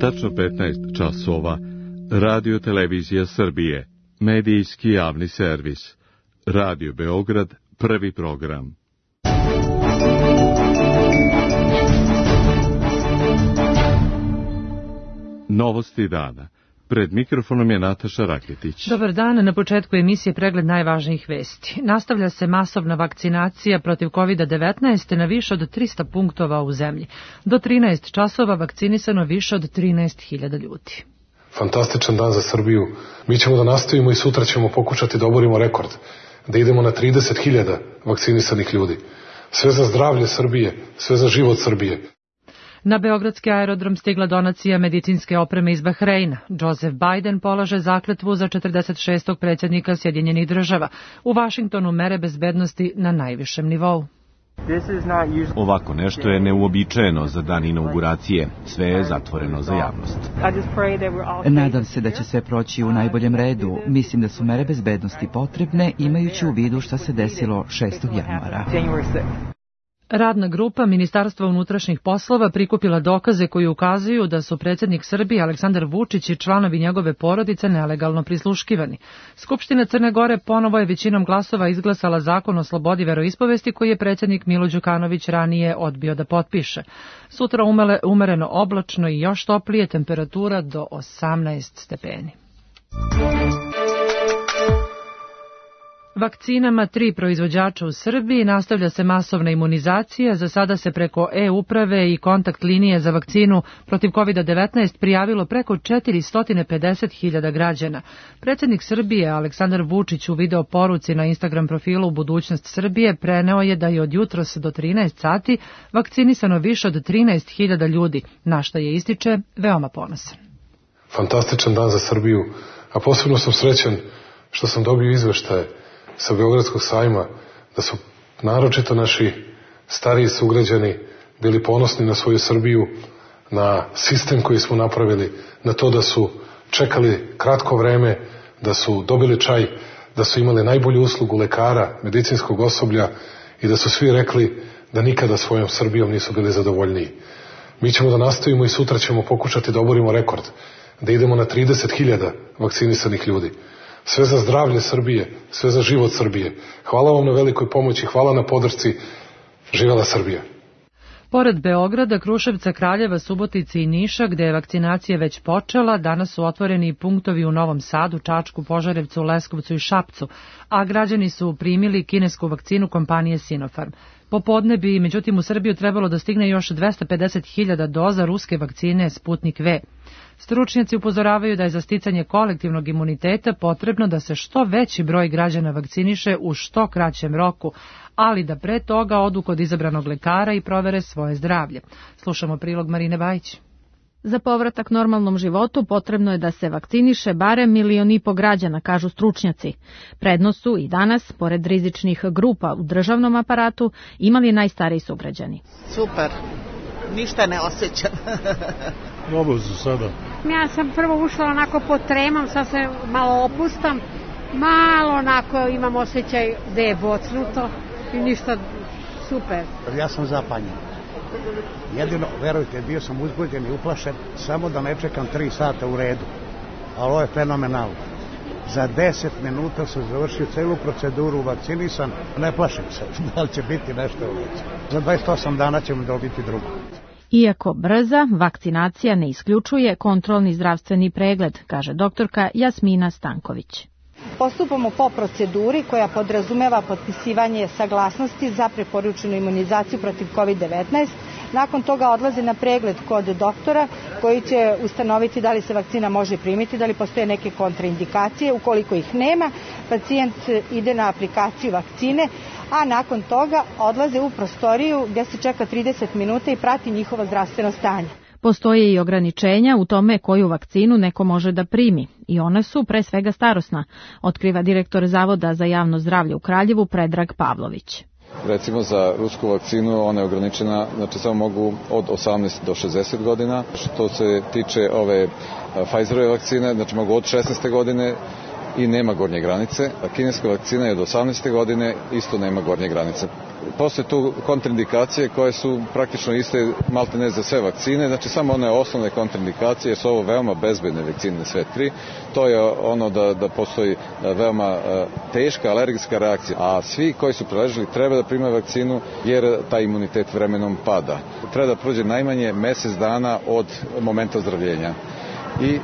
Tačno 15 časova. Radio Televizija Srbije. Medijski javni servis. Radio Beograd, prvi program. Novosti dana. Pred mikrofonom je Nataša Raketić. Dobar dan, na početku emisije pregled najvažnijih vesti. Nastavlja se masovna vakcinacija protiv COVID-19 na više od 300 punktova u zemlji. Do 13 časova vakcinisano više od 13.000 ljudi. Fantastičan dan za Srbiju. Mi ćemo da nastavimo i sutra ćemo pokušati da oborimo rekord. Da idemo na 30.000 vakcinisanih ljudi. Sve za zdravlje Srbije, sve za život Srbije. Na beogradski aerodrom stigla donacija medicinske opreme iz Bahreina. Joseph Biden polaže zakletvu za 46. predsjednika Sjedinjenih država. U Vašingtonu mere bezbednosti na najvišem nivou. Ovako nešto je neuobičajeno za dan inauguracije. Sve je zatvoreno za javnost. Nadam se da će sve proći u najboljem redu. Mislim da su mere bezbednosti potrebne, imajući u vidu šta se desilo 6. januara. Radna grupa Ministarstva unutrašnjih poslova prikupila dokaze koji ukazuju da su predsjednik Srbije Aleksandar Vučić i članovi njegove porodice nelegalno prisluškivani. Skupština Crne Gore ponovo je većinom glasova izglasala zakon o slobodi veroispovesti koji je predsjednik Milo Đukanović ranije odbio da potpiše. Sutra umereno oblačno i još toplije, temperatura do 18 stepeni. Vakcinama 3 proizvođača u Srbiji nastavlja se masovna imunizacija. Za sada se preko e-uprave i kontakt linije za vakcinu protiv COVID-19 prijavilo preko 450.000 građana. Predsjednik Srbije Aleksandar Vučić u video poruci na Instagram profilu Budućnost Srbije preneo je da je od jutros do 13 sati vakcinisano više od 13.000 ljudi, na što je ističe veoma ponosan. Fantastičan dan za Srbiju, a posebno sam srećan što sam dobio izveštaje sa Beogradskog sajma, da su naročito naši stariji sugrađani bili ponosni na svoju Srbiju, na sistem koji smo napravili, na to da su čekali kratko vreme, da su dobili čaj, da su imali najbolju uslugu lekara, medicinskog osoblja i da su svi rekli da nikada svojom Srbijom nisu bili zadovoljniji. Mi ćemo da nastavimo i sutra ćemo pokušati da oborimo rekord, da idemo na 30.000 vakcinisanih ljudi. Sve za zdravlje Srbije, sve za život Srbije. Hvala vam na velikoj pomoći, hvala na podršci. Živela Srbija. Pored Beograda, Kruševca, Kraljeva, Subotice i Niša, gde je vakcinacija već počela, danas su otvoreni punktovi u Novom Sadu, Čačku, Požarevcu, Leskovcu i Šapcu, a građani su primili kinesku vakcinu kompanije Sinopharm. Popodne bi, međutim, u Srbiju trebalo da stigne još 250.000 doza ruske vakcine Sputnik V. Stručnjaci upozoravaju da je za sticanje kolektivnog imuniteta potrebno da se što veći broj građana vakciniše u što kraćem roku, ali da pre toga odu kod izabranog lekara i provere svoje zdravlje. Slušamo prilog Marine Bajić. Za povratak normalnom životu potrebno je da se vakciniše barem 1,5 miliona građana, kažu stručnjaci. Prednost su i danas, pored rizičnih grupa u državnom aparatu, imali najstariji sugrađani. Super, ništa ne osjećam. Dobro za sada. Ja sam prvo ušla onako pod tremom, sad se malo opustam, malo onako imam osjećaj da je bocnuto i ništa, super. Ja sam zapanjen. Jedino, verujte, bio sam uzbuđen i uplašen, samo da ne čekam 3 sata u redu. Ali ovo je fenomenalno. Za 10 minuta sam završio celu proceduru, vakcinisan, ne plašim se, da li će biti nešto uveće. Za 28 dana ćemo dobiti drugo. Iako brza, vakcinacija ne isključuje kontrolni zdravstveni pregled, kaže doktorka Jasmina Stanković. Postupamo po proceduri koja podrazumeva potpisivanje saglasnosti za preporučenu imunizaciju protiv COVID-19. Nakon toga odlaze na pregled kod doktora koji će ustanoviti da li se vakcina može primiti, da li postoje neke kontraindikacije. Ukoliko ih nema, pacijent ide na aplikaciju vakcine, a nakon toga odlaze u prostoriju gdje se čeka 30 minuta i prati njihovo zdravstveno stanje. Postoje i ograničenja u tome koju vakcinu neko može da primi i one su pre svega starosna, otkriva direktor Zavoda za javno zdravlje u Kraljevu Predrag Pavlović. Recimo za rusku vakcinu ona je ograničena, znači samo mogu od 18 do 60 godina. Što se tiče ove Pfizerove vakcine, znači mogu od 16. godine i nema gornje granice, a kineska vakcina je od 18. godine, isto nema gornje granice. Postoje tu kontraindikacije koje su praktično iste maltene za sve vakcine, znači samo one osnovne kontraindikacije su ovo veoma bezbedne vakcine sve tri. To je ono da postoji veoma teška alergijska reakcija, a svi koji su preležili treba da primaju vakcinu jer taj imunitet vremenom pada. Treba da prođe najmanje mesec dana od momenta ozdravljenja i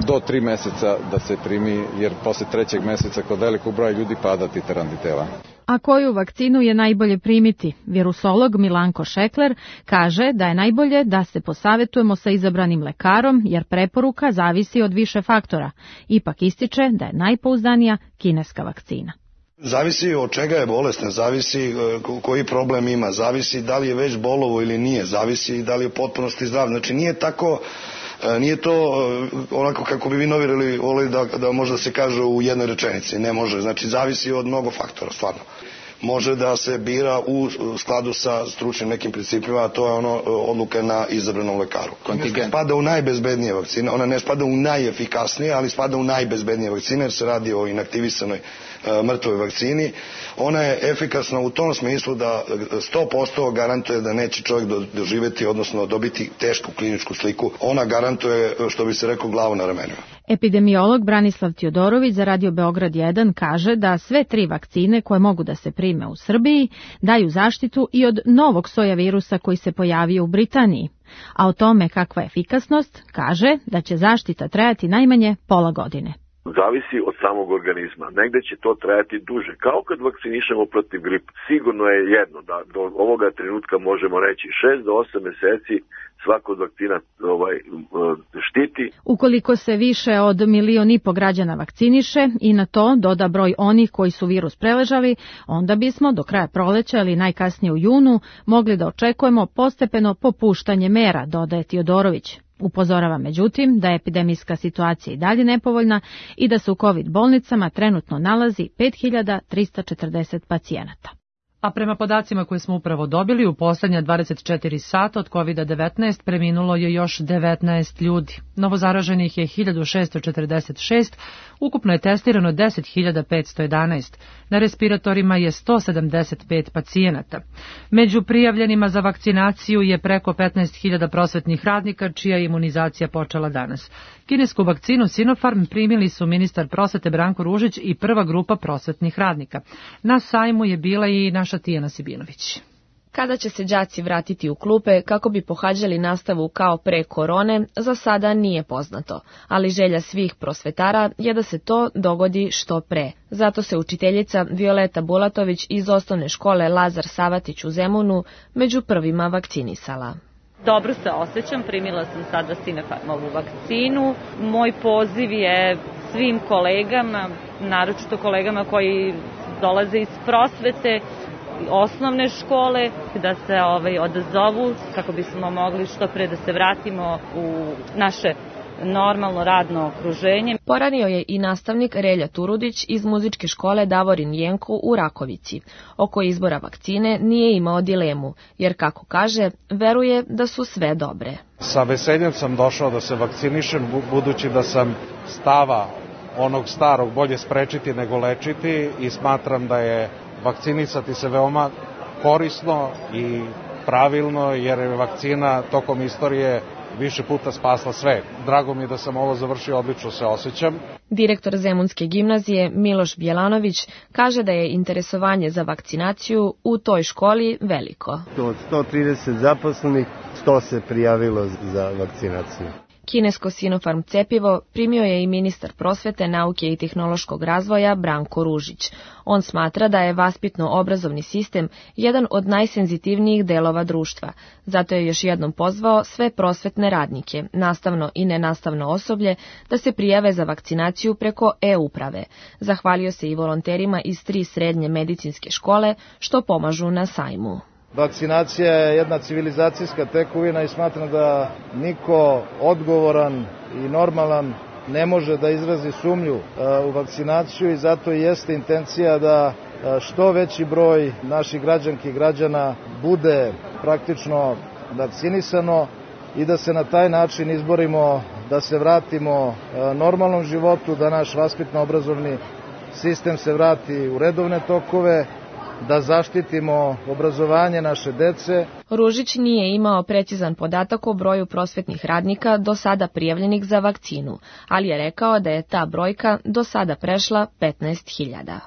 do 3 meseca da se primi, jer posle 3. meseca kod velikog broja ljudi pada titar antitela. A koju vakcinu je najbolje primiti? Virusolog Milanko Šekler kaže da je najbolje da se posavetujemo sa izabranim lekarom, jer preporuka zavisi od više faktora. Ipak ističe da je najpouzdanija kineska vakcina. Zavisi od čega je bolestan, zavisi koji problem ima, zavisi da li je već bolovo ili nije, zavisi da li je u potpunosti zdrav. Znači nije to onako kako bi vi novinari volili da može da se kaže u jednoj rečenici. Ne može, znači zavisi od mnogo faktora, stvarno. Može da se bira u skladu sa stručnim nekim principima, a to je odluka na izabranom lekaru. Kontingent spada u najbezbednije vakcine, ona ne spada u najefikasnije, ali spada u najbezbednije vakcine jer se radi o inaktivisanoj mrtvoj vakcini. Ona je efikasna u tom smislu da 100% garantuje da neće čovjek doživjeti, odnosno dobiti tešku kliničku sliku. Ona garantuje, što bi se rekao, glavu na ramenima. Epidemiolog Branislav Tjodorović za Radio Beograd 1 kaže da sve 3 vakcine koje mogu da se prime u Srbiji daju zaštitu i od novog soja virusa koji se pojavio u Britaniji. A o tome kakva je efikasnost kaže da će zaštita trajati najmanje pola godine. Zavisi od samog organizma. Negde će to trajati duže. Kao kad vakcinišemo protiv gripa. Sigurno je jedno da do ovoga trenutka možemo reći 6 do 8 meseci svaka od vakcina štiti. Ukoliko se više od 1,5 miliona građana vakciniše i na to doda broj onih koji su virus preležali, onda bismo do kraja proleća ili najkasnije u junu mogli da očekujemo postepeno popuštanje mera, dodaje Tjodorović. Upozorava međutim da je epidemijska situacija i dalje nepovoljna i da se u COVID bolnicama trenutno nalazi 5340 pacijenata. A prema podacima koje smo upravo dobili, u poslednja 24 sata od COVID-19 preminulo je još 19 ljudi. Novozaraženih je 1646, ukupno je testirano 10.511. Na respiratorima je 175 pacijenata. Među prijavljenima za vakcinaciju je preko 15.000 prosvetnih radnika, čija je imunizacija počela danas. Kinesku vakcinu Sinopharm primili su ministar prosvete Branko Ružić i prva grupa prosvetnih radnika. Na sajmu je bila i naša Tijana Sibinović. Kada će se đaci vratiti u klupe kako bi pohađali nastavu kao pre korone, za sada nije poznato, ali želja svih prosvetara je da se to dogodi što pre. Zato se učiteljica Violeta Bulatović iz osnovne škole Lazar Savatić u Zemunu među prvima vakcinisala. Dobro se osjećam, primila sam sada Sinopharmovu vakcinu. Moj poziv je svim kolegama, naročito kolegama koji dolaze iz prosvete, osnovne škole, da se odazovu kako bismo mogli što pre da se vratimo u naše normalno radno okruženje. Poranio je i nastavnik Relja Turudić iz muzičke škole Davorin Jenko u Rakovici. Oko izbora vakcine nije imao dilemu, jer kako kaže, veruje da su sve dobre. Sa veseljem sam došao da se vakcinišem, budući da sam stava onog starog bolje sprečiti nego lečiti i smatram da je vakcinisati se veoma korisno i pravilno, jer je vakcina tokom istorije više puta spasla sve. Drago mi je da sam ovo završio, odlično se osjećam. Direktor Zemunske gimnazije Miloš Bjelanović kaže da je interesovanje za vakcinaciju u toj školi veliko. Od 130 zaposlenih, 100 se prijavilo za vakcinaciju. Kinesko Sinopharm cepivo primio je i ministar prosvete, nauke i tehnološkog razvoja Branko Ružić. On smatra da je vaspitno-obrazovni sistem jedan od najsenzitivnijih delova društva. Zato je još jednom pozvao sve prosvetne radnike, nastavno i nenastavno osoblje, da se prijave za vakcinaciju preko e-uprave. Zahvalio se i volonterima iz 3 srednje medicinske škole što pomažu na sajmu. Vakcinacija je jedna civilizacijska tekovina i smatram da niko odgovoran i normalan ne može da izrazi sumnju u vakcinaciju i zato jeste intencija da što veći broj naših građanki i građana bude praktično vakcinisano i da se na taj način izborimo da se vratimo normalnom životu, da naš vaspitno-obrazovni sistem se vrati u redovne tokove, da zaštitimo obrazovanje naše dece. Ružić nije imao precizan podatak o broju prosvetnih radnika do sada prijavljenih za vakcinu, ali je rekao da je ta brojka do sada prešla 15.000.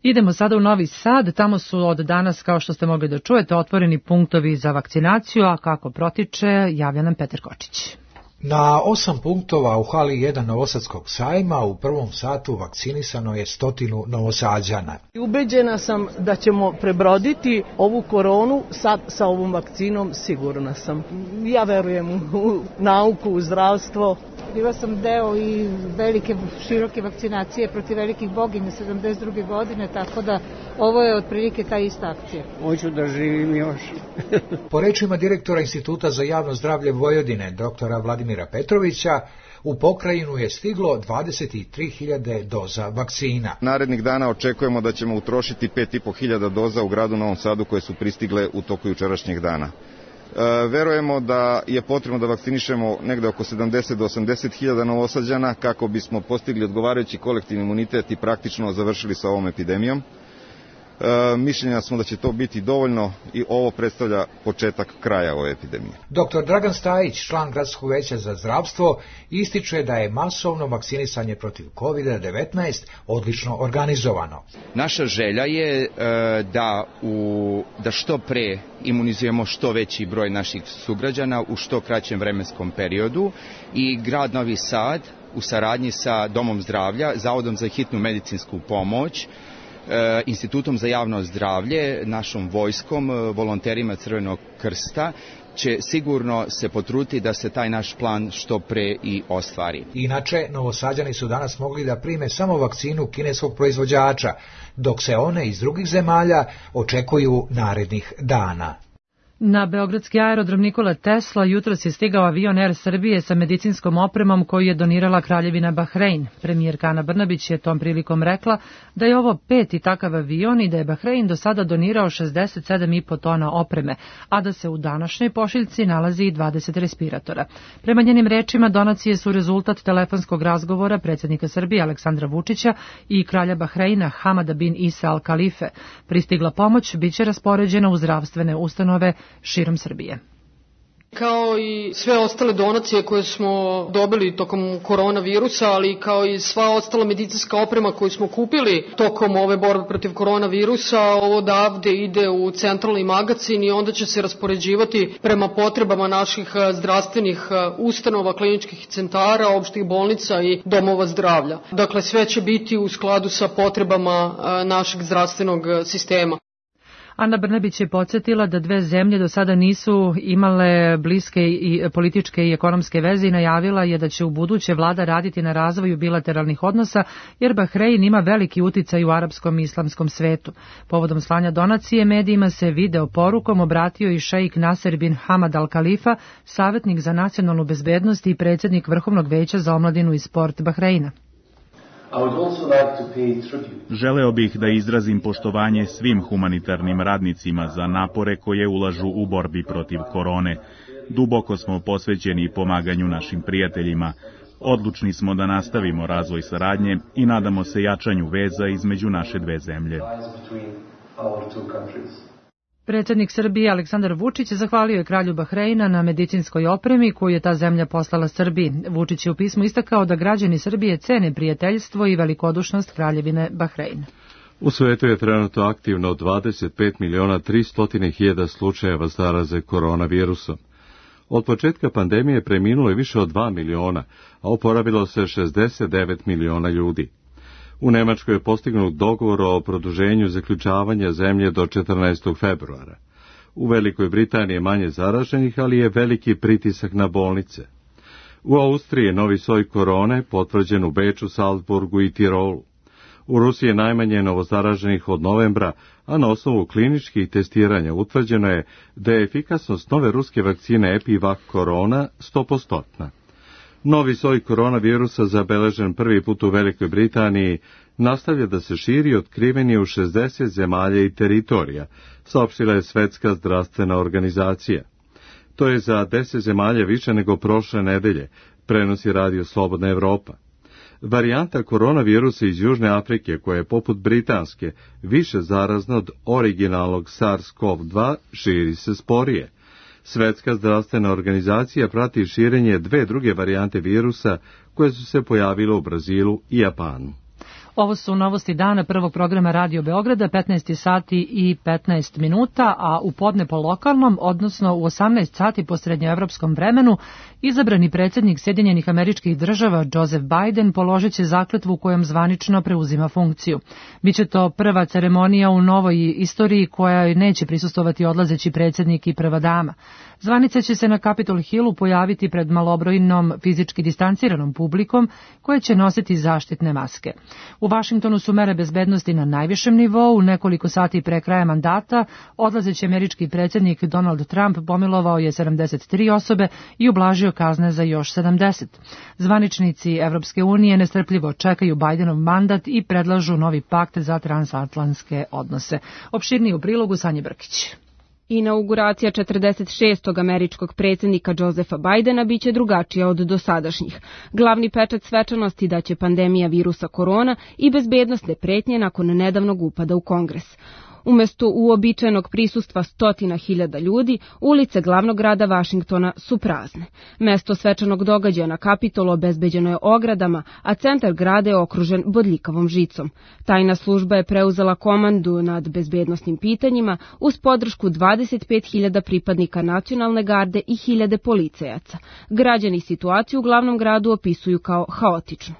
Idemo sada u Novi Sad, tamo su od danas, kao što ste mogli da čujete, otvoreni punktovi za vakcinaciju, a kako protiče, javlja nam Petar Kočić. Na 8 punktova u hali 1 Novosadskog sajma u prvom satu vakcinisano je 100 Novosađana. Ubeđena sam da ćemo prebroditi ovu koronu sad sa ovom vakcinom, sigurna sam. Ja verujem u nauku, u zdravstvo. Bila sam deo i velike, široke vakcinacije protiv velikih boginja 72. godine, tako da ovo je otprilike ta ista akcija. Hoću da živim još. Po rečima direktora Instituta za javno zdravlje Vojvodine, doktora Vladimira Petrovića, u pokrajinu je stiglo 23.000 doza vakcina. Narednih dana očekujemo da ćemo utrošiti 5.500 doza u gradu Novom Sadu koje su pristigle u toku jučerašnjeg dana. Verujemo da je potrebno da vakcinišemo negde oko 70 do 80.000 Novosađana kako bismo postigli odgovarajući kolektivni imunitet i praktično završili sa ovom epidemijom. Mišljenja smo da će to biti dovoljno i ovo predstavlja početak kraja ove epidemije. Dr. Dragan Stajić, član Gradskog veća za zdravstvo, ističe da je masovno vakcinisanje protiv COVID-19 odlično organizovano. Naša želja je da što pre imunizujemo što veći broj naših sugrađana u što kraćem vremenskom periodu i grad Novi Sad u saradnji sa Domom zdravlja, Zavodom za hitnu medicinsku pomoć, Institutom za javno zdravlje, našom vojskom, volonterima Crvenog krsta će sigurno se potruditi da se taj naš plan što pre i ostvari. Inače, Novosađani su danas mogli da prime samo vakcinu kineskog proizvođača, dok se one iz drugih zemalja očekuju narednih dana. Na beogradski aerodrom Nikola Tesla jutros je stigao avion Air Srbije sa medicinskom opremom koju je donirala Kraljevina Bahrein. Premijerka Ana Brnabić je tom prilikom rekla da je ovo 5. takav avion i da je Bahrein do sada donirao 67,5 tona opreme, a da se u današnjoj pošiljci nalazi i 20 respiratora. Prema njenim rečima, donacije su rezultat telefonskog razgovora predsjednika Srbije Aleksandra Vučića i kralja Bahreina Hamada bin Isa Al Khalife. Pristigla pomoć biće raspoređena u zdravstvene ustanove širom Srbije. Kao i sve ostale donacije koje smo dobili tokom koronavirusa, ali kao i sva ostala medicinska oprema koju smo kupili tokom ove borbe protiv koronavirusa, ovo odavde ide u centralni magacin i onda će se raspoređivati prema potrebama naših zdravstvenih ustanova, kliničkih centara, opštih bolnica i domova zdravlja. Dakle, sve će biti u skladu sa potrebama našeg zdravstvenog sistema. Ana Brnabić je podsjetila da dve zemlje do sada nisu imale bliske i političke i ekonomske veze i najavila je da će u buduće vlada raditi na razvoju bilateralnih odnosa, jer Bahrein ima veliki uticaj u arapskom i islamskom svetu. Povodom slanja donacije medijima se video porukom obratio i šejk Nasser bin Hamad Al Khalifa, savjetnik za nacionalnu bezbednost i predsjednik Vrhovnog veća za omladinu i sport Bahreina. Želeo bih da izrazim poštovanje svim humanitarnim radnicima za napore koje ulažu u borbi protiv korone. Duboko smo posvećeni pomaganju našim prijateljima. Odlučni smo da nastavimo razvoj saradnje i nadamo se jačanju veza između naše dve zemlje. Predsjednik Srbije Aleksandar Vučić zahvalio je kralju Bahreina na medicinskoj opremi koju je ta zemlja poslala Srbiji. Vučić je u pismu istakao da građani Srbije cene prijateljstvo i velikodušnost kraljevine Bahreina. U svetu je trenutno aktivno 25.300.000 slučajeva zaraze koronavirusom. Od početka pandemije preminulo je više od 2 miliona, a oporavilo se 69 miliona ljudi. U Nemačkoj je postignut dogovor o produženju zaključavanja zemlje do 14. februara. U Velikoj Britaniji je manje zaraženih, ali je veliki pritisak na bolnice. U Austriji je novi soj korone potvrđen u Beču, Salzburgu i Tirolu. U Rusiji je najmanje novozaraženih od novembra, a na osnovu kliničkih testiranja utvrđeno je da je efikasnost nove ruske vakcine Epivac Corona 100%. Novi soj koronavirusa, zabeležen prvi put u Velikoj Britaniji, nastavlja da se širi, otkriven je u 60 zemalja i teritorija, saopštila je Svetska zdravstvena organizacija. To je za 10 zemalja više nego prošle nedelje, prenosi Radio Slobodna Evropa. Varijanta koronavirusa iz Južne Afrike, koja je poput britanske više zarazna od originalnog SARS-CoV-2, širi se sporije. Svetska zdravstvena organizacija prati širenje 2 druge varijante virusa koje su se pojavile u Brazilu i Japanu. Ovo su novosti dana prvog programa Radio Beograda, 15 sati i 15 minuta, a u podne po lokalnom, odnosno u 18 sati po srednjoevropskom vremenu, izabrani predsjednik Sjedinjenih Američkih Država Joseph Biden položit će zakletvu kojom zvanično preuzima funkciju. Biće to prva ceremonija u novoj istoriji koja neće prisustovati odlazeći predsjednik i prva dama. Zvanica će se na Capitol Hillu pojaviti pred malobrojnom fizički distanciranom publikom koja će nositi zaštitne maske. U Vašingtonu su mere bezbednosti na najvišem nivou. Nekoliko sati pre kraja mandata odlazeći američki predsjednik Donald Trump pomilovao je 73 osobe i ublažio kazne za još 70. Zvaničnici Evropske unije nestrpljivo čekaju Bidenov mandat i predlažu novi pakt za transatlantske odnose. Opširniji u prilogu Sanje Brkić. Inauguracija 46. američkog predsjednika Josepha Bidena biće drugačija od dosadašnjih. Glavni pečat svečanosti daće pandemija virusa korona i bezbednosne pretnje nakon nedavnog upada u Kongres. Umesto uobičajenog prisustva 100.000 ljudi, ulice glavnog grada Vašingtona su prazne. Mesto svečanog događaja na Kapitolu obezbeđeno je ogradama, a centar grada je okružen bodljikavom žicom. Tajna služba je preuzela komandu nad bezbednosnim pitanjima uz podršku 25.000 pripadnika nacionalne garde i 1.000 policajaca. Građani situaciju u glavnom gradu opisuju kao haotičnu.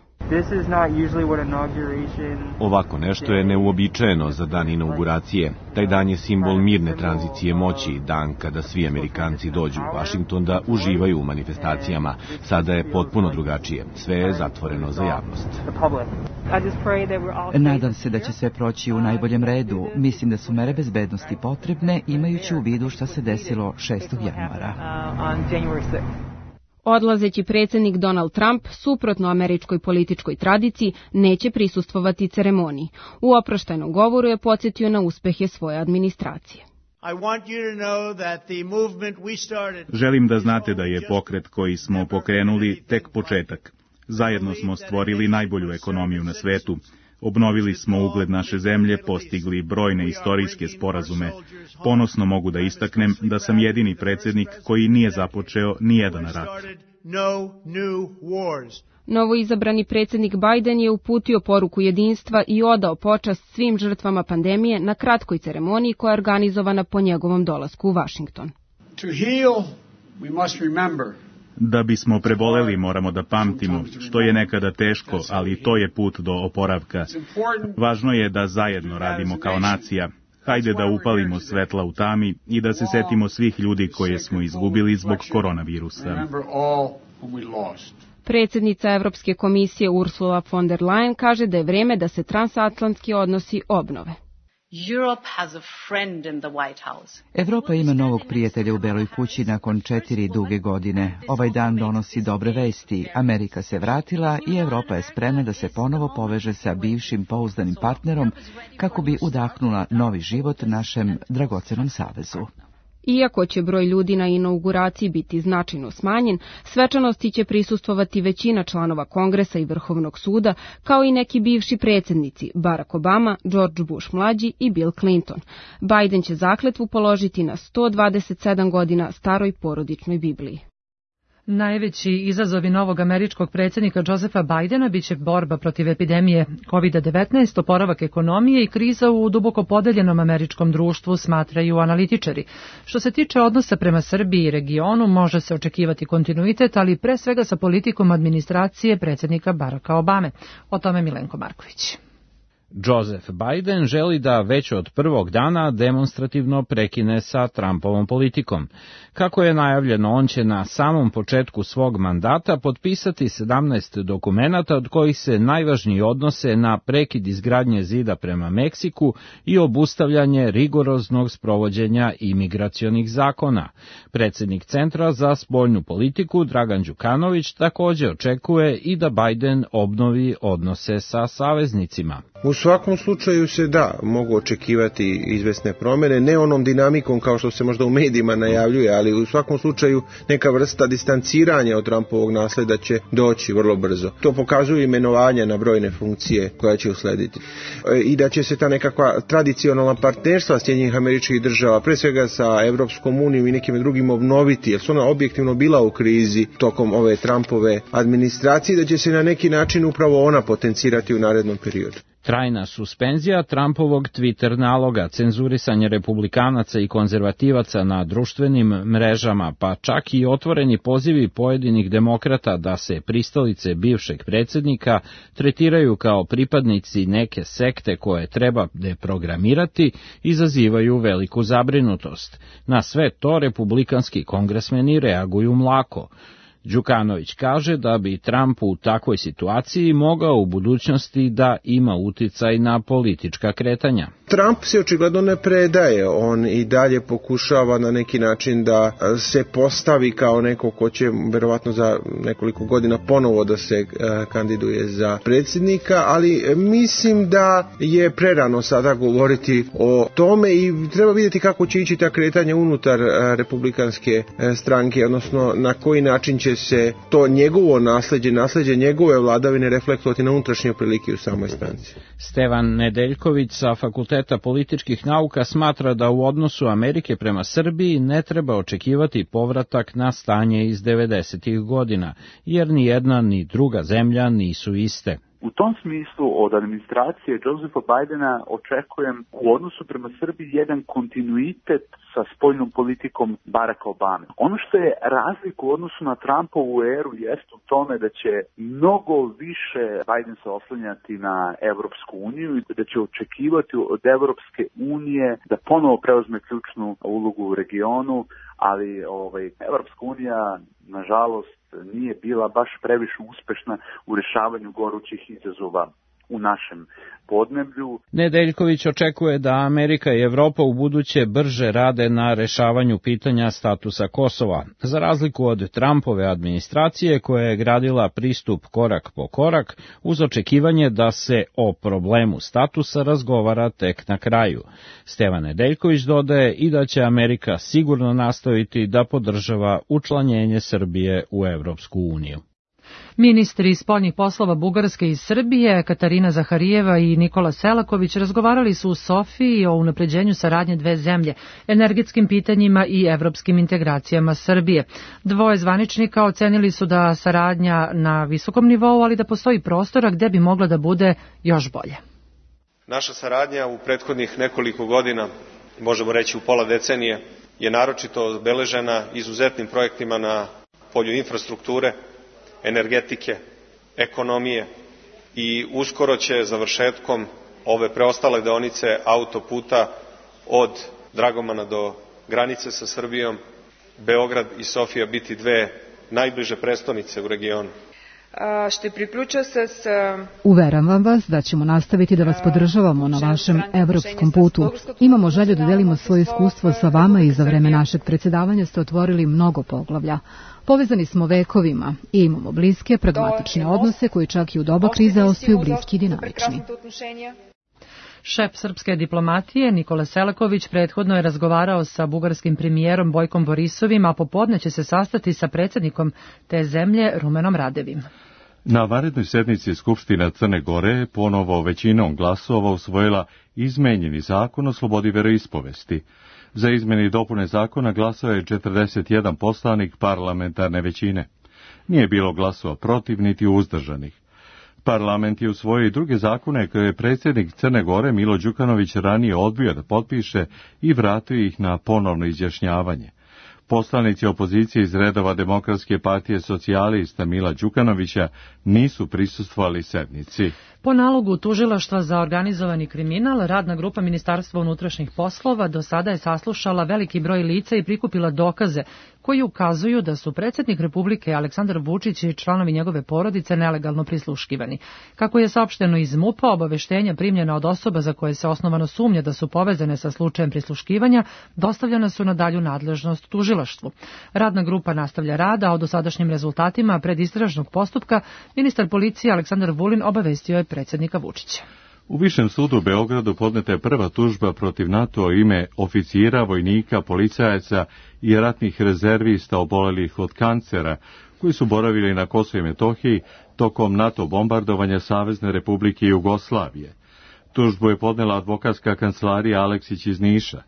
Ovako nešto je neuobičajeno za dan inauguracije. Taj dan je simbol mirne tranzicije moći, dan kada svi Amerikanci dođu u Vašington da uživaju u manifestacijama. Sada je potpuno drugačije. Sve je zatvoreno za javnost. Nadam se da će sve proći u najboljem redu. Mislim da su mere bezbednosti potrebne, imajući u vidu šta se desilo 6. januara. Odlazeći predsjednik Donald Trump, suprotno američkoj političkoj tradiciji, neće prisustvovati ceremoniji. U oproštajnom govoru je podsjetio na uspehe svoje administracije. Želim da znate da je pokret koji smo pokrenuli tek početak. Zajedno smo stvorili najbolju ekonomiju na svetu. Obnovili smo ugled naše zemlje, postigli brojne istorijske sporazume. Ponosno mogu da istaknem da sam jedini predsjednik koji nije započeo nijedan rat. Novoizabrani predsjednik Biden je uputio poruku jedinstva i odao počast svim žrtvama pandemije na kratkoj ceremoniji koja je organizovana po njegovom dolasku u Vašington. Da bismo preboleli moramo da pamtimo, što je nekada teško, ali to je put do oporavka. Važno je da zajedno radimo kao nacija. Hajde da upalimo svetla u tami i da se setimo svih ljudi koje smo izgubili zbog koronavirusa. Predsjednica Evropske komisije Ursula von der Leyen kaže da je vreme da se transatlantski odnosi obnove. Evropa ima novog prijatelja u Beloj kući nakon 4 duge godine. Ovaj dan donosi dobre vesti. Amerika se vratila i Evropa je spremna da se ponovo poveže sa bivšim pouzdanim partnerom kako bi udahnula novi život našem dragocenom savezu. Iako će broj ljudi na inauguraciji biti značajno smanjen, svečanosti će prisustvovati većina članova Kongresa i Vrhovnog suda, kao i neki bivši predsjednici, Barack Obama, George Bush mlađi i Bill Clinton. Biden će zakletvu položiti na 127 godina staroj porodičnoj Bibliji. Najveći izazovi novog američkog predsjednika Josepha Bidena biće borba protiv epidemije COVID-19, oporavak ekonomije i kriza u duboko podeljenom američkom društvu, smatraju analitičari. Što se tiče odnosa prema Srbiji i regionu, može se očekivati kontinuitet, ali pre svega sa politikom administracije predsjednika Baracka Obame. O tome Milenko Marković. Joseph Biden želi da već od prvog dana demonstrativno prekine sa Trumpovom politikom. Kako je najavljeno, on će na samom početku svog mandata potpisati 17 dokumenata, od kojih se najvažniji odnose na prekid izgradnje zida prema Meksiku i obustavljanje rigoroznog sprovođenja imigracionih zakona. Predsjednik Centra za spoljnu politiku Dragan Đukanović također očekuje i da Biden obnovi odnose sa saveznicima. U svakom slučaju se mogu očekivati izvesne promjene, ne onom dinamikom kao što se možda u medijima najavljuje, ali u svakom slučaju neka vrsta distanciranja od Trumpovog nasleda će doći vrlo brzo. To pokazuju imenovanja na brojne funkcije koja će uslediti. I da će se ta nekakva tradicionalna partnerstva Sjedinjenih Američkih Država, pre svega sa Evropskom unijom i nekim drugim, obnoviti, jer su ona objektivno bila u krizi tokom ove Trumpove administracije, da će se na neki način upravo ona potencirati u narednom periodu. Trajna suspenzija Trumpovog Twitter naloga, cenzurisanje republikanaca i konzervativaca na društvenim mrežama, pa čak i otvoreni pozivi pojedinih demokrata da se pristalice bivšeg predsjednika tretiraju kao pripadnici neke sekte koje treba deprogramirati, izazivaju veliku zabrinutost. Na sve to republikanski kongresmeni reaguju mlako. Đukanović kaže da bi Trump u takvoj situaciji mogao u budućnosti da ima uticaj na politička kretanja. Trump se očigledno ne predaje, on i dalje pokušava na neki način da se postavi kao neko ko će verovatno za nekoliko godina ponovo da se kandiduje za predsjednika, ali mislim da je prerano sada govoriti o tome i treba vidjeti kako će ići ta kretanja unutar republikanske stranke, odnosno na koji način će se to njegovo nasleđe njegove vladavine reflektovati na unutrašnje prilike u samoj stranci. Stevan Nedeljković sa Fakulteta političkih nauka smatra da u odnosu Amerike prema Srbiji ne treba očekivati povratak na stanje iz 90-ih godina, jer ni jedna ni druga zemlja nisu iste. U tom smislu od administracije Josepha Bidena očekujem u odnosu prema Srbiji jedan kontinuitet sa spoljnom politikom Baracka Obame. Ono što je razlika u odnosu na Trumpovu eru jest u tome da će mnogo više Biden se oslanjati na Evropsku uniju i da će očekivati od Evropske unije da ponovo preuzme ključnu ulogu u regionu, ali Evropska unija, nažalost, nije bila baš previše uspešna u rješavanju gorućih izazova u našem podneblju. Nedeljković očekuje da Amerika i Evropa u buduće brže rade na rešavanju pitanja statusa Kosova, za razliku od Trumpove administracije koja je gradila pristup korak po korak uz očekivanje da se o problemu statusa razgovara tek na kraju. Stevan Nedeljković dodaje i da će Amerika sigurno nastaviti da podržava učlanjenje Srbije u Evropsku uniju. Ministri spoljnih poslova Bugarske i Srbije, Katarina Zaharijeva i Nikola Selaković, razgovarali su u Sofiji o unapređenju saradnje dve zemlje, energetskim pitanjima i evropskim integracijama Srbije. Dvoje zvaničnika ocenili su da saradnja na visokom nivou, ali da postoji prostora gde bi mogla da bude još bolje. Naša saradnja u prethodnih nekoliko godina, možemo reći u pola decenije, je naročito obeležena izuzetnim projektima na polju infrastrukture, energetike, ekonomije i uskoro će završetkom ove preostale deonice autoputa od Dragomana do granice sa Srbijom, Beograd i Sofija biti dve najbliže prestonice u regionu. Uveravam vas da ćemo nastaviti da vas podržavamo na vašem evropskom putu. Imamo želju da delimo svoje iskustvo sa vama i za vreme našeg predsjedavanja ste otvorili mnogo poglavlja. Povezani smo vekovima i imamo bliske, pragmatične odnose koji čak i u doba krize ostaju bliski i dinamični. Šef srpske diplomatije Nikola Selaković prethodno je razgovarao sa bugarskim premijerom Bojkom Borisovim, a popodne će se sastati sa predsjednikom te zemlje Rumenom Radevim. Na vanrednoj sednici Skupština Crne Gore ponovo većinom glasova usvojila izmenjeni zakon o slobodi veroispovesti. Za izmjene i dopune zakona glasao je 41 poslanik parlamentarne većine. Nije bilo glasova protiv niti uzdržanih. Parlament je usvojio i druge zakone koje je predsjednik Crne Gore Milo Đukanović ranije odbio da potpiše i vratio ih na ponovno izjašnjavanje. Poslanici opozicije iz redova Demokratske partije socijalista Mila Đukanovića nisu prisustvovali sednici. Po nalogu Tužilaštva za organizovani kriminal, radna grupa Ministarstva unutrašnjih poslova do sada je saslušala veliki broj lica i prikupila dokaze koji ukazuju da su predsjednik Republike Aleksandar Vučić i članovi njegove porodice nelegalno prisluškivani. Kako je saopšteno iz MUP-a, obaveštenja primljena od osoba za koje se osnovano sumnja da su povezane sa slučajem prisluškivanja dostavljena su na dalju nadležnost tužilaštvu. Radna grupa nastavlja rad, a o dosadašnjim rezultatima predistražnog postupka ministar policije Aleksandar Vulin obavestio je predsjednika Vučića. U Višem sudu u Beogradu podneta je prva tužba protiv NATO ime oficira, vojnika, policajaca i ratnih rezervista obolelih od kancera, koji su boravili na Kosovu i Metohiji tokom NATO bombardovanja Savezne Republike Jugoslavije. Tužbu je podnela advokatska kancelarija Aleksić iz Niša.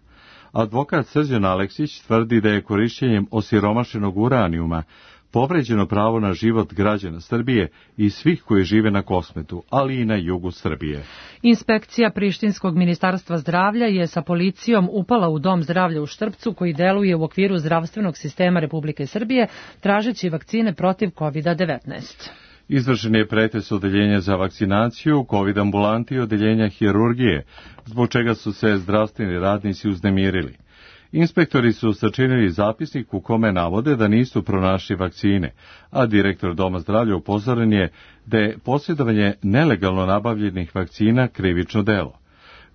Advokat Srđan Aleksić tvrdi da je korišćenjem osiromašenog uranijuma povređeno pravo na život građana Srbije i svih koji žive na Kosmetu, ali i na jugu Srbije. Inspekcija Prištinskog ministarstva zdravlja je sa policijom upala u dom zdravlja u Štrpcu, koji deluje u okviru zdravstvenog sistema Republike Srbije, tražeći vakcine protiv COVID-19. Izvršen je pretres odeljenja za vakcinaciju, COVID ambulanti i odeljenja hirurgije, zbog čega su se zdravstveni radnici uznemirili. Inspektori su sačinili zapisnik u kome navode da nisu pronašli vakcine, a direktor Doma zdravlja upozoren je da je posjedovanje nelegalno nabavljenih vakcina krivično delo.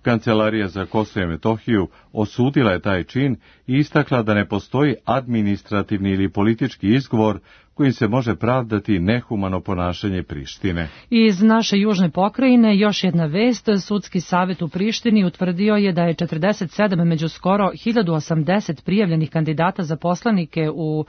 Kancelarija za Kosovo i Metohiju osudila je taj čin i istakla da ne postoji administrativni ili politički izgovor kojim se može pravdati nehumano ponašanje Prištine. Iz naše južne pokrajine još jedna vest. Sudski savjet u Prištini utvrdio je da je 47 među skoro 1080 prijavljenih kandidata za poslanike u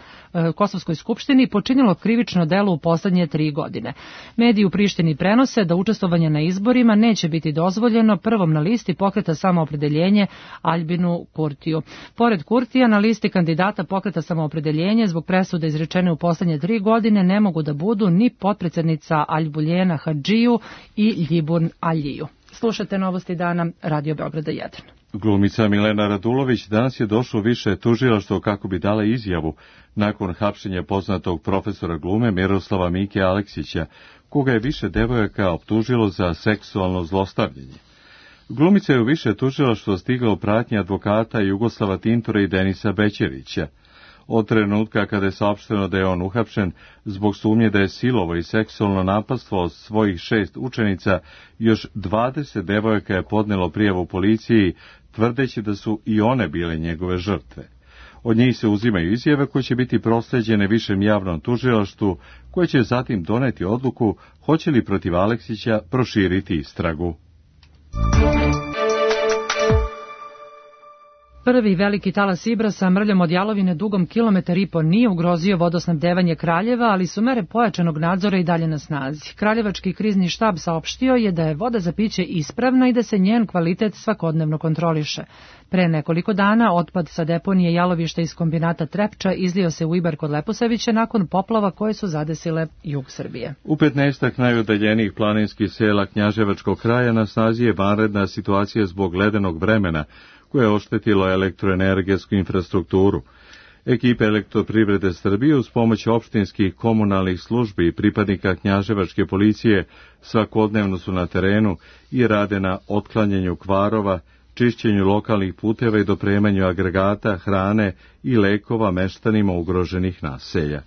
Kosovskoj skupštini počinilo krivično delo u poslednje 3 godine. Mediji u Prištini prenose da učestvovanje na izborima neće biti dozvoljeno prvom na listi Pokreta samoopredeljenje Aljbinu Kurtiju. Pored Kurtija, na listi kandidata Pokreta samoopredeljenje zbog presude izrečene u poslednje 3 godine ne mogu da budu ni potpredsednica Aljbuljena Hadžiju i Ljibun Aljiju. Slušate Novosti dana, Radio Beograda 1. Glumica Milena Radulović danas je došla u više tužilaštvo kako bi dala izjavu nakon hapšenja poznatog profesora glume Miroslava Mike Aleksića, koga je više devojaka optužilo za seksualno zlostavljanje. Glumica je u više tužilaštvo stigla u pratnji advokata Jugoslava Tintora i Denisa Bećevića. Od trenutka kada je saopšteno da je on uhapšen zbog sumnje da je silovo i seksualno napastvovao svojih 6 učenica, još 20 devojaka je podnelo prijavu policiji, tvrdeći da su i one bile njegove žrtve. Od njih se uzimaju izjave koje će biti prosleđene višem javnom tužilaštvu, koje će zatim doneti odluku hoće li protiv Aleksića proširiti istragu. Prvi veliki talas Ibra sa mrljom od jalovine dugom 1,5 km nije ugrozio vodosnabdevanje Kraljeva, ali su mere pojačanog nadzora i dalje na snazi. Kraljevački krizni štab saopštio je da je voda za piće ispravna i da se njen kvalitet svakodnevno kontroliše. Pre nekoliko dana otpad sa deponije jalovišta iz kombinata Trepča izlio se u Ibar kod Leposavića nakon poplava koje su zadesile jug Srbije. U 15 najudaljenijih planinskih sela Knjaževačkog kraja na snazi je vanredna situacija zbog ledenog vremena, koje je oštetilo elektroenergetsku infrastrukturu. Ekipe Elektroprivrede Srbije uz pomoć opštinskih komunalnih službi i pripadnika Knjaževačke policije svakodnevno su na terenu i rade na otklanjanju kvarova, čišćenju lokalnih puteva i dopremanju agregata, hrane i lekova meštanima ugroženih naselja.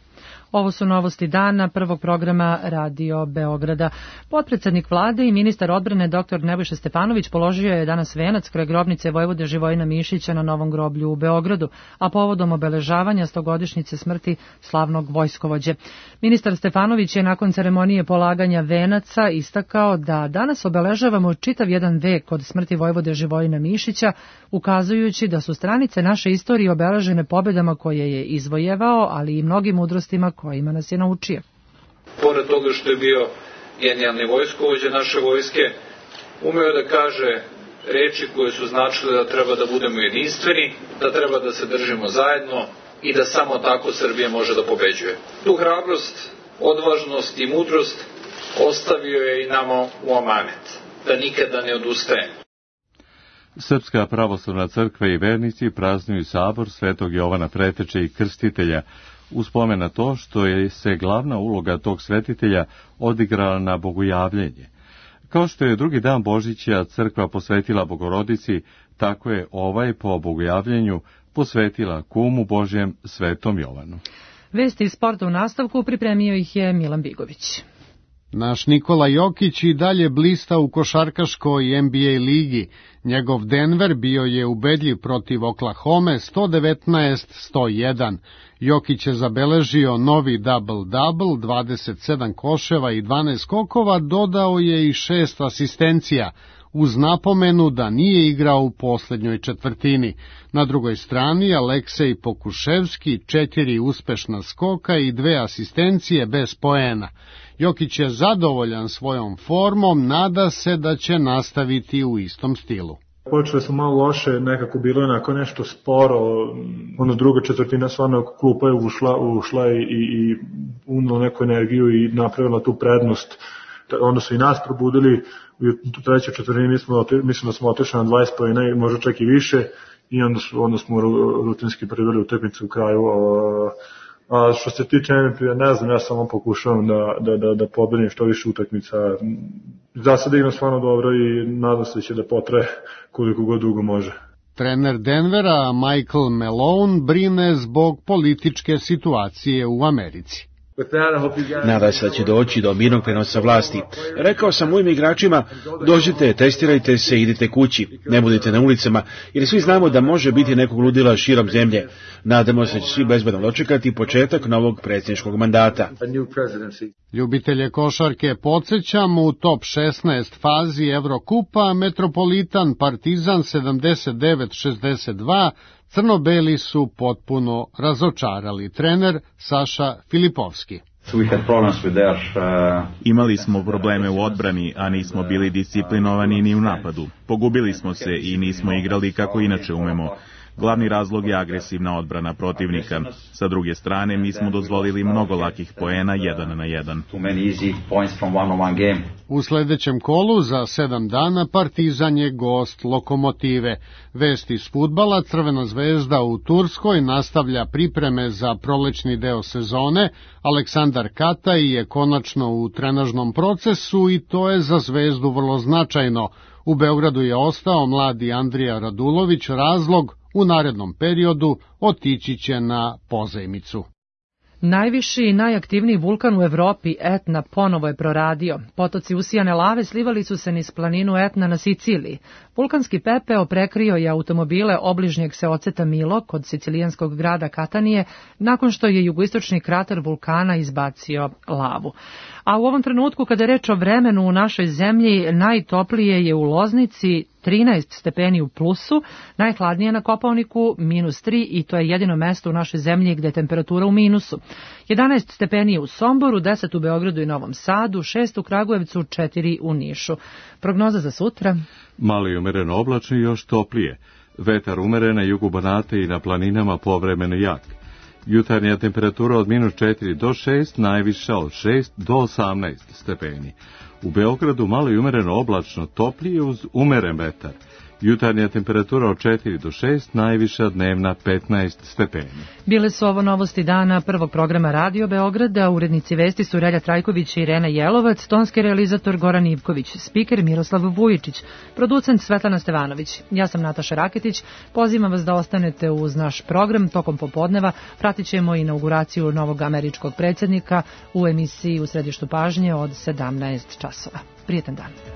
Ovo su novosti dana prvog programa Radio Beograda. Potpredsednik vlade i ministar odbrane dr. Nebojša Stefanović položio je danas venac kraj grobnice vojvode Živojina Mišića na Novom groblju u Beogradu, a povodom obeležavanja 100-godišnjice smrti slavnog vojskovođe. Ministar Stefanović je nakon ceremonije polaganja venaca istakao da danas obeležavamo čitav jedan vek od smrti vojvode Živojina Mišića, ukazujući da su stranice naše istorije obeležene pobedama koje je izvojevao, ali i mnogim mudrostima kojima nas je naučio. Pored toga što je bio genijalni vojskovođa naše vojske, umeo da kaže reči koje su značile da treba da budemo jedinstveni, da treba da se držimo zajedno i da samo tako Srbija može da pobeđuje. Tu hrabrost, odvažnost i mudrost ostavio je i nama u amanet, da nikada ne odustaje. Srpska pravoslavna crkva i vernici praznuju sabor Svetog Jovana Preteče i Krstitelja, uz spomen na to što je se glavna uloga tog svetitelja odigrala na bogojavljenje. Kao što je drugi dan Božića crkva posvetila Bogorodici, tako je ovaj po bogojavljenju posvetila kumu Božjem Svetom Jovanu. Vesti iz sporta u nastavku pripremio ih je Milan Bigović. Naš Nikola Jokić i dalje blista u košarkaškoj NBA ligi. Njegov Denver bio je ubedljiv protiv Oklahome 119-101. Jokić je zabeležio novi double-double, 27 koševa i 12 skokova, dodao je i 6 asistencija, uz napomenu da nije igrao u posljednjoj četvrtini. Na drugoj strani Aleksej Pokuševski, 4 uspešna skoka i 2 asistencije bez poena. Jokić je zadovoljan svojom formom, nada se da će nastaviti u istom stilu. Počeli smo malo loše, nekako bilo je onako nešto sporo, druga četvrtina stvarno klupa je ušla i unila neku energiju i napravila tu prednost. Onda su i nas probudili, u trećoj četvrtini mislim da smo otišli na 20 poena i možda čak i više i onda smo rutinski priveli utakmicu u kraju. A što se tiče MVP-a, ne znam, ja samo pokušavam da pobedim što više utakmica. Za sada igram stvarno dobro i nadam se da će da potraje koliko god dugo može. Trener Denvera Michael Malone brine zbog političke situacije u Americi. Nadam se da će doći do mirnog prenosa vlasti. Rekao sam mojim igračima, dođite, testirajte se, idite kući, ne budite na ulicama, jer svi znamo da može biti nekog ludila širom zemlje. Nadamo se da će svi bezbedno dočekati početak novog predsjedničkog mandata. Ljubitelje košarke podsjećamo, u top 16 fazi Evrokupa Metropolitan Partizan 79-62, crno-beli su potpuno razočarali. Trener Saša Filipovski. Imali smo probleme u odbrani, a nismo bili disciplinovani ni u napadu. Pogubili smo se i nismo igrali kako inače umemo. Glavni razlog je agresivna odbrana protivnika. Sa druge strane, mi smo dozvolili mnogo lakih poena 1 na 1. U sljedećem kolu za 7 dana Partizan je gost Lokomotive. Vest iz fudbala, Crvena zvezda u Turskoj nastavlja pripreme za prolećni deo sezone. Aleksandar Kataj je konačno u trenažnom procesu i to je za zvezdu vrlo značajno. U Beogradu je ostao mladi Andrija Radulović, razlog u narednom periodu otići će na pozajmicu. Najviši i najaktivniji vulkan u Evropi, Etna, ponovo je proradio. Potoci usijane lave slivali su se niz planinu Etna na Siciliji. Vulkanski pepeo prekrio je automobile obližnjeg seoceta Milo kod sicilijanskog grada Katanije, nakon što je jugoistočni krater vulkana izbacio lavu. A u ovom trenutku, kada je reč o vremenu u našoj zemlji, najtoplije je u Loznici 13 stepeni u plusu, najhladnije na Kopaoniku -3 i to je jedino mesto u našoj zemlji gde je temperatura u minusu. 11 stepeni u Somboru, 10 u Beogradu i Novom Sadu, 6 u Kragujevcu, 4 u Nišu. Prognoza za sutra? Malo i umereno oblačno i još toplije. Vetar umeren na jugu Banata i na planinama povremeno jak. Jutarnja temperatura od -4 do 6, najviša od 6 do 18 stepeni. U Beogradu malo i umereno oblačno, toplije uz umeren vetar. Jutarnja temperatura od 4 do 6, najviša dnevna 15 stepeni. Bile su ovo novosti dana prvog programa Radio Beograda. Urednici vesti su Relja Trajković i Irena Jelovac, tonski realizator Goran Ivković, spiker Miroslav Vujičić, producent Svetlana Stevanović. Ja sam Nataša Raketić. Pozivam vas da ostanete uz naš program tokom popodneva. Pratit ćemo inauguraciju novog američkog predsjednika u emisiji U središtu pažnje od 17 časova. Prijetan dan.